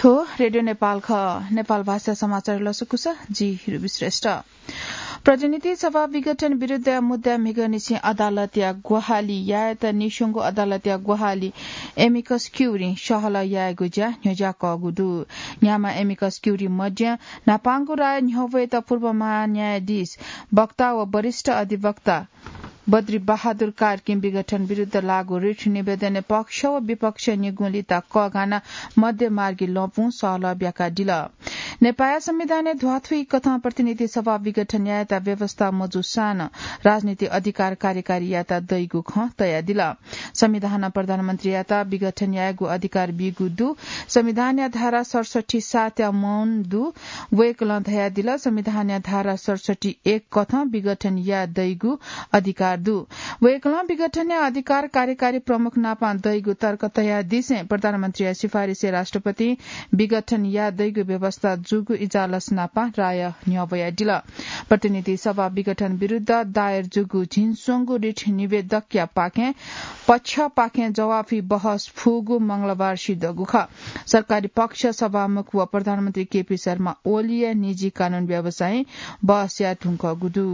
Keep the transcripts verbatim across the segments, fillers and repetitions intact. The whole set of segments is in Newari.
थ्व रेडियो नेपाल खः। नेपाल भाषा समाचार लसकुस, जि रुबी श्रेष्ठ। प्रतिनिधि सभा विघटन विरुद्ध मुद्दा म्हिगः निसें अदालतया ग्वाहालि यायेत निस्वंगु अदालतया ग्वाहालि amicus curiae सहलह यायेगु ज्या न्ह्यज्याकःगु दु। न्ह्याम्ह amicus curiae मध्ये न्हापांगु राय न्ह्यब्वयेत पूर्व महान्यायाधीश वक्ता व वरिष्ठ अधिवक्ता बद्री बहादुर कार्कीं विघटन विरुद्ध लाःगु रिट निवेदनय् पक्ष व विपक्ष निगुंलिता कःघानाः मध्यमार्गी लँपुं सहलह ब्याकादिल। नेपाःया संविधानय् ध्वाथुइकथं प्रतिनिधि सभा विघटन यायेत व्यवस्था मजूसां नं राजनीतिक अधिकार कार्यकारी यायेत दइगु खँ तयादिल। संविधानं प्रधानमन्त्रीयात विघटन यायेगु अधिकार बीगु दु। संविधानया धारा सतसट्ठी सातया मौन दु। वय्कलं धयादिल, संविधानया धारा सतसट्ठी एक कथं विघटन याये दइगु अधिकार दु। वय्कलं विघटनया अधिकार कार्यकारी प्रमुख नाप दइगु तर्क तयादिसें प्रधानमन्त्रीया सिफारिसय् राष्ट्रपतिं विघटन याये दइगु व्यवस्था जूगु इजालस नाप राय न्ह्यब्वयादिल। प्रतिनिधि सभा विघटन विरुद्ध दायर जूगु झिंस्वंगु रिट निवेदकया पाखें पक्षपाखें जवाफी बहस फुगु मंगलबार सिद्धगु खः। सरकारी पक्ष सभामुख व प्रधानमन्त्री केपी शर्मा ओलीया निजी कानून व्यवसायीं बहस याये धुंकूगु दु।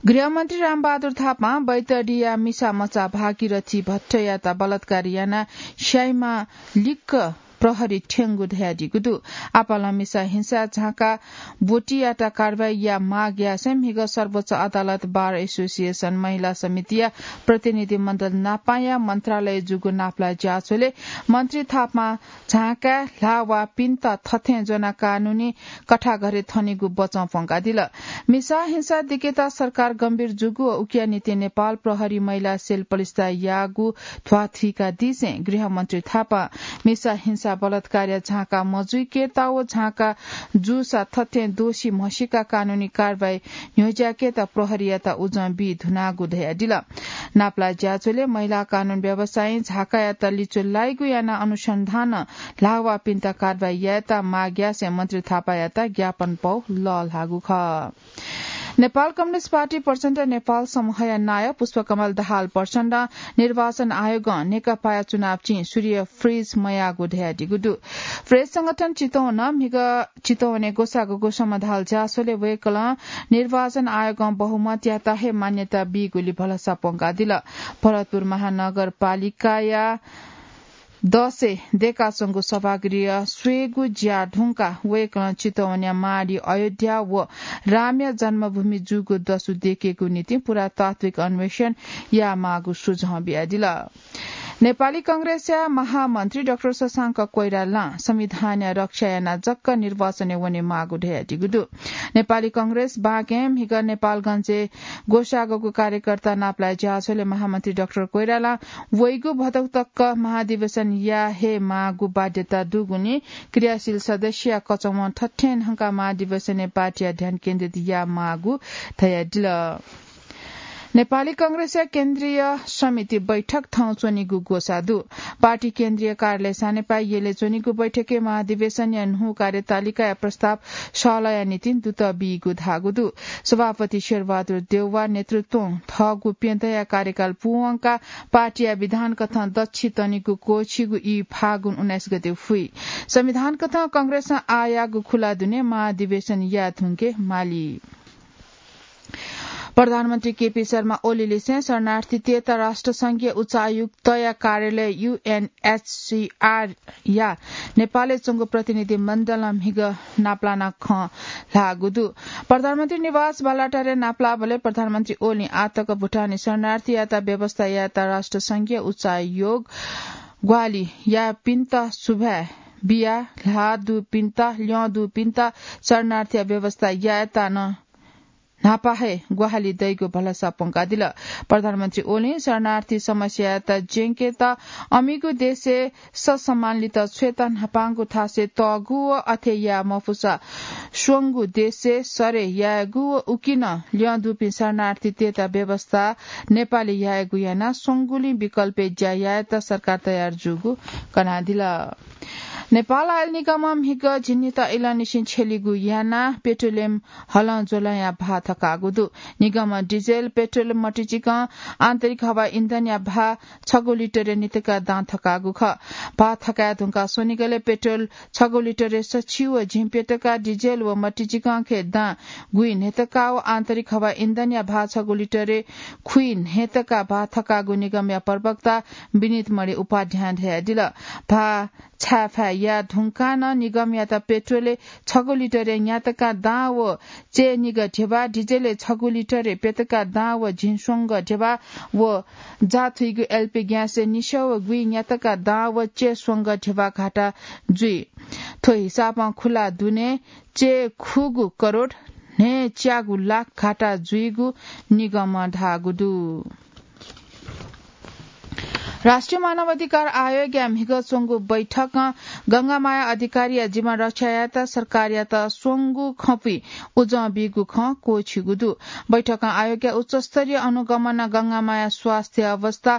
गृहमन्त्री रामबहादुर थापां बैतडीया मिसा मचा भागीरथी भट्टयात बलात्कार यानाः स्याइमा लिक्क प्रहरी थ्यंगु धयादीगु दु। आपालं मिसा हिंसा झाँका ब्वतियात कारवाही या माग यासें म्हिगः सर्वोच्च अदालत, बार एसोसिएसन, महिला समितिया प्रतिनिधि मण्डल नापाया मन्त्रालय जूगु नापलाः ज्याझ्वलय् मन्त्री थापां झाँकाय् ल्हाः वाःपिन्त थथें ज्वनाः कानूनी कथाघरे थनेगु बचं प्वंकादिल। मिसा हिंसा दिकेत सरकार गम्भीर जूगु व उकिया निंतिं नेपाल प्रहरी महिला सेल पलिस्था याःगु ध्वाथुइकादीसें गृहमन्त्री थापां मिसा हिंसा बलात्कारया झाँका मजुइकेत व झाँका जूसा थथें दोषी म्हसीका कानूनी कारवाही न्ह्यज्याकेत प्रहरीयात उजं बी धुनागु धयादिल। नापलाः ज्याझ्वलय् महिला कानून व्यवसायीं झाँकायात लिच्वः लाइगु यानाः अनुसन्धानं ल्हाः वाःपिन्त कारवाही यायेत माग यासें मन्त्री थापायात ज्ञापन पौ लःल्हाःगु खः। नेपाल कम्युनिस्ट पार्टी प्रचण्ड नेपाल समूहया नायः पुष्पकमल दाहाल प्रचण्डं निर्वाचन आयोगं नेकपाया चुनाव चिं सूर्य फ्रिज मयाःगु धयादीगु दु। फ्रिज संगठन चितवनं म्हिगः चितवनय् ग्वसाःगु समधाल ज्याझ्वलय् वय्कलं निर्वाचन आयोगं बहुमतयात हे मान्यता बीगुली भलसा प्वंकादिल। भरतपुर महानगरपालिकाया दसय् दयेकाच्वंगु सभागृह स्वयेगु ज्या धुंकाः वय्कलं चितवनया माडी अयोध्या व रामया जन्मभूमि जूगु दसु दयेकेगु निंतिं पुरातात्विक अन्वेषण यायेमाःगु सुझाव बियादिल। नेपाली कांग्रेसया महामन्त्री डाक्टर शशांक कोइरालां संविधानया रक्षा यानाः जक निर्वाचनय् वनेमाःगु धयादीगु दु। नेपाली कांग्रेस बाँके म्हिगः नेपालगंजय् ग्वसाःगु कार्यकर्ता नापलाः ज्याझ्वलय् महामन्त्री डाक्टर कोइरालां वइगु भदौ तक महाधिवेशन याये हे माःगु बाध्यता दुगुलिं क्रियाशील सदस्यया कचवं थथें न्हंकाः महाधिवेशनय् पार्टीया ध्यान केन्द्रित याये माःगु धयादिल। नेपाली कांग्रेसया केन्द्रीय समिति बैठक थौं च्वनीगु ग्वसाः दु। पार्टी केन्द्रीय कार्यालय सानेपाः यलय् च्वनीगु बैठकय् महाधिवेशनया न्हू कार्यतालिकाया प्रस्ताव सहलहया निंतिं दुत बीगु धाःगु दु। सभापति शेरबहादुर देउवा नेतृत्वं थःगु प्यदँया कार्यकाल पूवंकाः पार्टीया विधान कथं दच्छि तनीगु क्वःछिगु ई फागुन उन्नाइस गते फुइ। संविधान कथं कांग्रेसं आःयाःगु खुला दुने महाधिवेशन याये धुंके माली। प्रधानमन्त्री केपी शर्मा ओलीलिसें शरणार्थीतय्त राष्ट्रसंघीय उच्चायुक्तया कार्यालय यूएनएचसीआर या नेपालय् च्वंगु प्रतिनिधि मण्डलं म्हिगः नापलानाः खँ ल्हाःगु दु। प्रधानमन्त्री निवास बालाटारय् नापलाःबलय् प्रधानमन्त्री ओलीं आःतक भुटानी शरणार्थीयात व्यवस्था यायेत राष्ट्रसंघीय उच्चायोग ग्वाहालि याःपिन्त सुभाय् बियाः ल्हाः दुपिन्त, ल्यं दुपिन्त शरणार्थीया व्यवस्था यायेत नं न्हापा हे ग्वाहालि दइगु भलसा प्वंकादिल। प्रधानमन्त्री ओलीं शरणार्थी समस्यायात ज्यंकेत अमिगु देशय् ससम्मानलित छ्वयेत न्हापांगु थासय् तःगु व अथे याये मफुसा स्वंगु देशय् सरे यायेगु व उकिं नं ल्यं दुपिं शरणार्थीतय्त व्यवस्था नेपालय् यायेगु यानाः स्वंगुलिं विकल्पय् ज्या यायेत सरकार तयार जूगु कनादिल। नेपाल आयल निगमं म्हिगः झिंनिदँ इलंनिसें छ्यलिगु यानाः पेट्रोलियम हलं ज्वलंया भाः थकाःगु दु। निगमं डिजेल, पेट्रोल, मतिचिकं आन्तरिक हवा इन्धनया भाः छगू लिटरय् न्हितका दां थकाःगु खः। भाः थकाये धुंकाः स्वनिगलय् पेट्रोल छगू लिटरय् सछि व झिंप्यतका, डिजेल व मतिचिकंखे दां गुइन्हय्तका व आन्तरिक हवा इन्धनया भाः छगू लिटरय् खुइन्हय्तका भाः थकाःगु निगमया प्रवक्ता विनीत मणि उपाध्यायं धयादिल। भाः छाय्‌फाय् याये धुंकाः नं निगमयात पेट्रोलय् छगू लिटरय् न्यातका दां व चय्‌निगः ध्यबा, डिजेलय् छगू लिटरय् प्यतका दां व झिंस्वंगः ध्यबा व जाथुइगु एलपी ग्यासय् निस्याः व गुइ न्यातका दां व चय्‌स्वंगः ध्यबा घाटा जुइ। थ्व हिसाबं खुला दुने चय्‌खुगू करोड न्हय्‌च्यागू लाख घाटा जुइगु निगमं धाःगु दु। राष्ट्रिय मानवाधिकार आयोगया म्हिगः च्वंगु बैठकं गंगामाया अधिकारीया जीवन रक्षा यायेत सरकारयात स्वंगु खँपुइ उजं बीगु खँ क्वःछिगु दु। बैठकं आयोगया उच्चस्तरीय अनुगमनं गंगामाया स्वास्थ्य अवस्था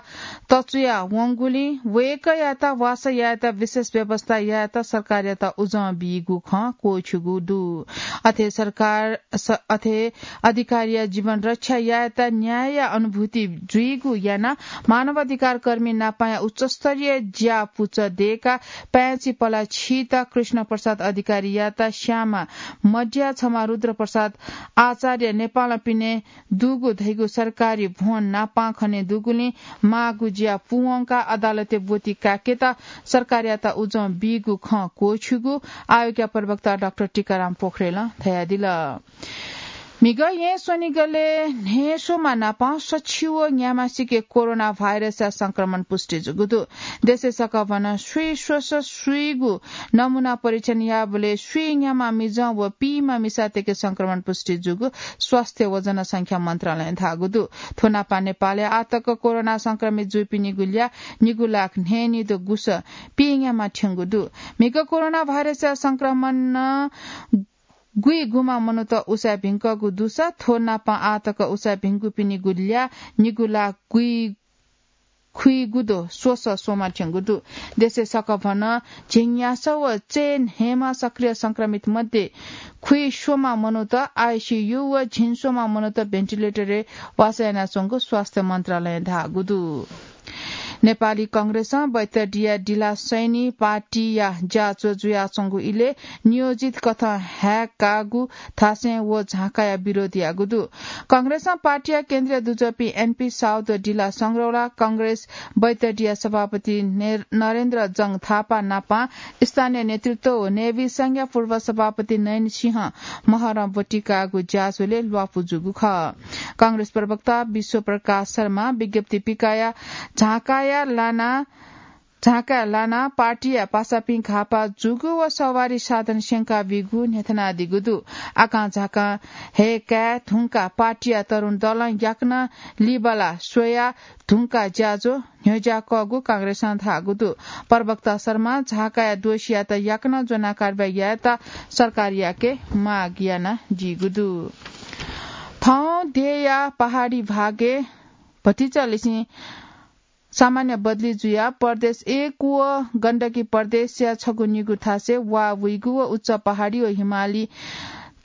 तचुया वंगुलिं वय्‌कःयात वासः यायेत विशेष व्यवस्था यायेत सरकारयात उजं बीगु खँ क्वःछिगु दु। अथे सरकार स-, अथे अधिकारीया जीवन रक्षा यायेत न्यायया अनुभूति जुइगु यानाः मानवाधिकार कर्मी नापाया उच्चस्तरीय ज्या पुचः दयेकाः पाय्‌छि पलाः छित कृष्ण प्रसाद अधिकारीयात श्यामा मड्या, छमा रुद्र प्रसाद आचार्य नेपालं पिने दुगु धइगु सरकारी भ्वन नापां खने दुगुलिं माःगु ज्या पूवंकाः अदालतय् ब्वति काय्‌केत सरकारयात उजं बीगु खँ क्वःछिगु आयोगया प्रवक्ता डाक्टर टीकाराम पोखरेलं धयादिल। म्हिगः येँ स्वनिगलय् न्हय्‌स्वम्ह नाप सछि व न्याम्हसिके कोरोना भाइरसया संक्रमण पुष्टि जूगु दु। देशय् सकभनं स्वीस्वसः स्वीगू नमूना परीक्षण याःबलय् स्वीन्याम्ह मिजं व पीम्ह मिसातय्‌के संक्रमण पुष्टि जूगु स्वास्थ्य व जनसंख्या मन्त्रालयं धाःगु दु। थ्व नापं नेपालय् आःतक कोरोना संक्रमित जूपिनिगु ल्याः निगू लाख न्हय्‌निदँ गुसः पीन्याम्ह थ्यंगु दु। म्हिगः कोरोना भाइरसया संक्रमणं गुइगुम्ह मनूत उसाँय् भिंकूगु दुसा थ्व नापं आःतक उसाँय् भिंकूपिनिगु ल्याः निगू लाख गुइ खुइगुदँ स्वसः स्वम्ह थ्यंगु दु। देशय् सकभनं झिंन्यासः व चय्‌न्हय्‌म्ह सक्रिय संक्रमित मध्ये खुइस्वम्ह मनूत आइसीयू व झिंस्वम्ह मनूत भेन्टिलेटरय् वासः यानाच्वंगु स्वास्थ्य मन्त्रालयं धाःगु दु। नेपाली कांग्रेसं बैतडिया डिला सैनी पार्टीया ज्याझ्वः जुयाच्वंगु इलय् नियोजित कथं हाय्‌कागु थासय् व झाँकाया विरोध याःगु दु। कांग्रेसं पार्टीया केन्द्रीय दुजःपिं एनपी साउद, डिला संग्रौला, कांग्रेस बैतडिया सभापति ने-, नरेन्द्र जंग थापा नापं स्थानीय नेतृत्व व नेविसंघया पूर्व सभापति नयन सिंह महरं ब्वति काःगु ज्याझ्वलय् ल्वापु जूगु खः। कांग्रेस प्रवक्ता विश्व प्रकाश शर्मा विज्ञप्ति पिकाया झाँकाया लाना झाँकाय् लानाः पार्टीया पासापिं घाःपाः जूगु व सवारी साधन स्यंका बीगु न्ह्यथनादीगु दु। आकां झाकां हय्‌काये धुंकाः पार्टीया तरुण दलं याकनं लिबाला स्वया धुंकाः ज्याझ्वः न्ह्यज्याकःगु कांग्रेसं धाःगु दु। प्रवक्ता शर्मां झाँकाया दोषीयात याकनं ज्वनाः कारवाही यायेत सरकारयाके माग यानादीगु दु। थौं देय्‌या पहाडी भागय् भतिचालिसें सामान्य बदली जुयाः प्रदेश एक व गण्डकी प्रदेशया छगू निगू थासय् वा वइगु व उच्च पहाडी व हिमाली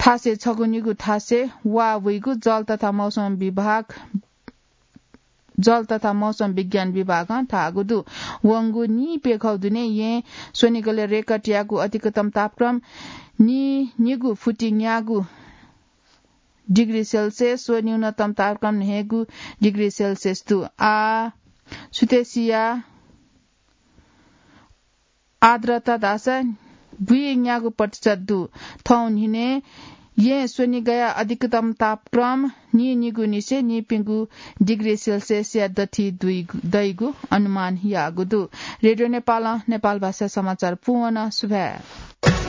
थासय् छगू निगू थासय् वा वइगु जल तथा मौसम विभाग, जल तथा मौसम विज्ञान विभागं धाःगु दु। वंगु नीप्यघौ दुने येँ स्वनिगलय् रेकर्डयागु अधिकतम तापक्रम नीनिगू फुति न्यागू डिग्री सेल्सियस व न्यूनतम तापक्रम न्हय्‌गू डिग्री सेल्सियस दु। आः सुथसिया आर्द्रता धाःसा ब्वय् न्यागू प्रतिशत दु। थौं न्हिनय् येँ स्वनिगया अधिकतम तापक्रम नीनिगू निसें नीप्यघौ डिग्री सेल्सियसया दथुइ दइगु अनुमान याःगु दु। रेडियो नेपालं नेपाल भाषा समाचार पूवन। सुभाय्।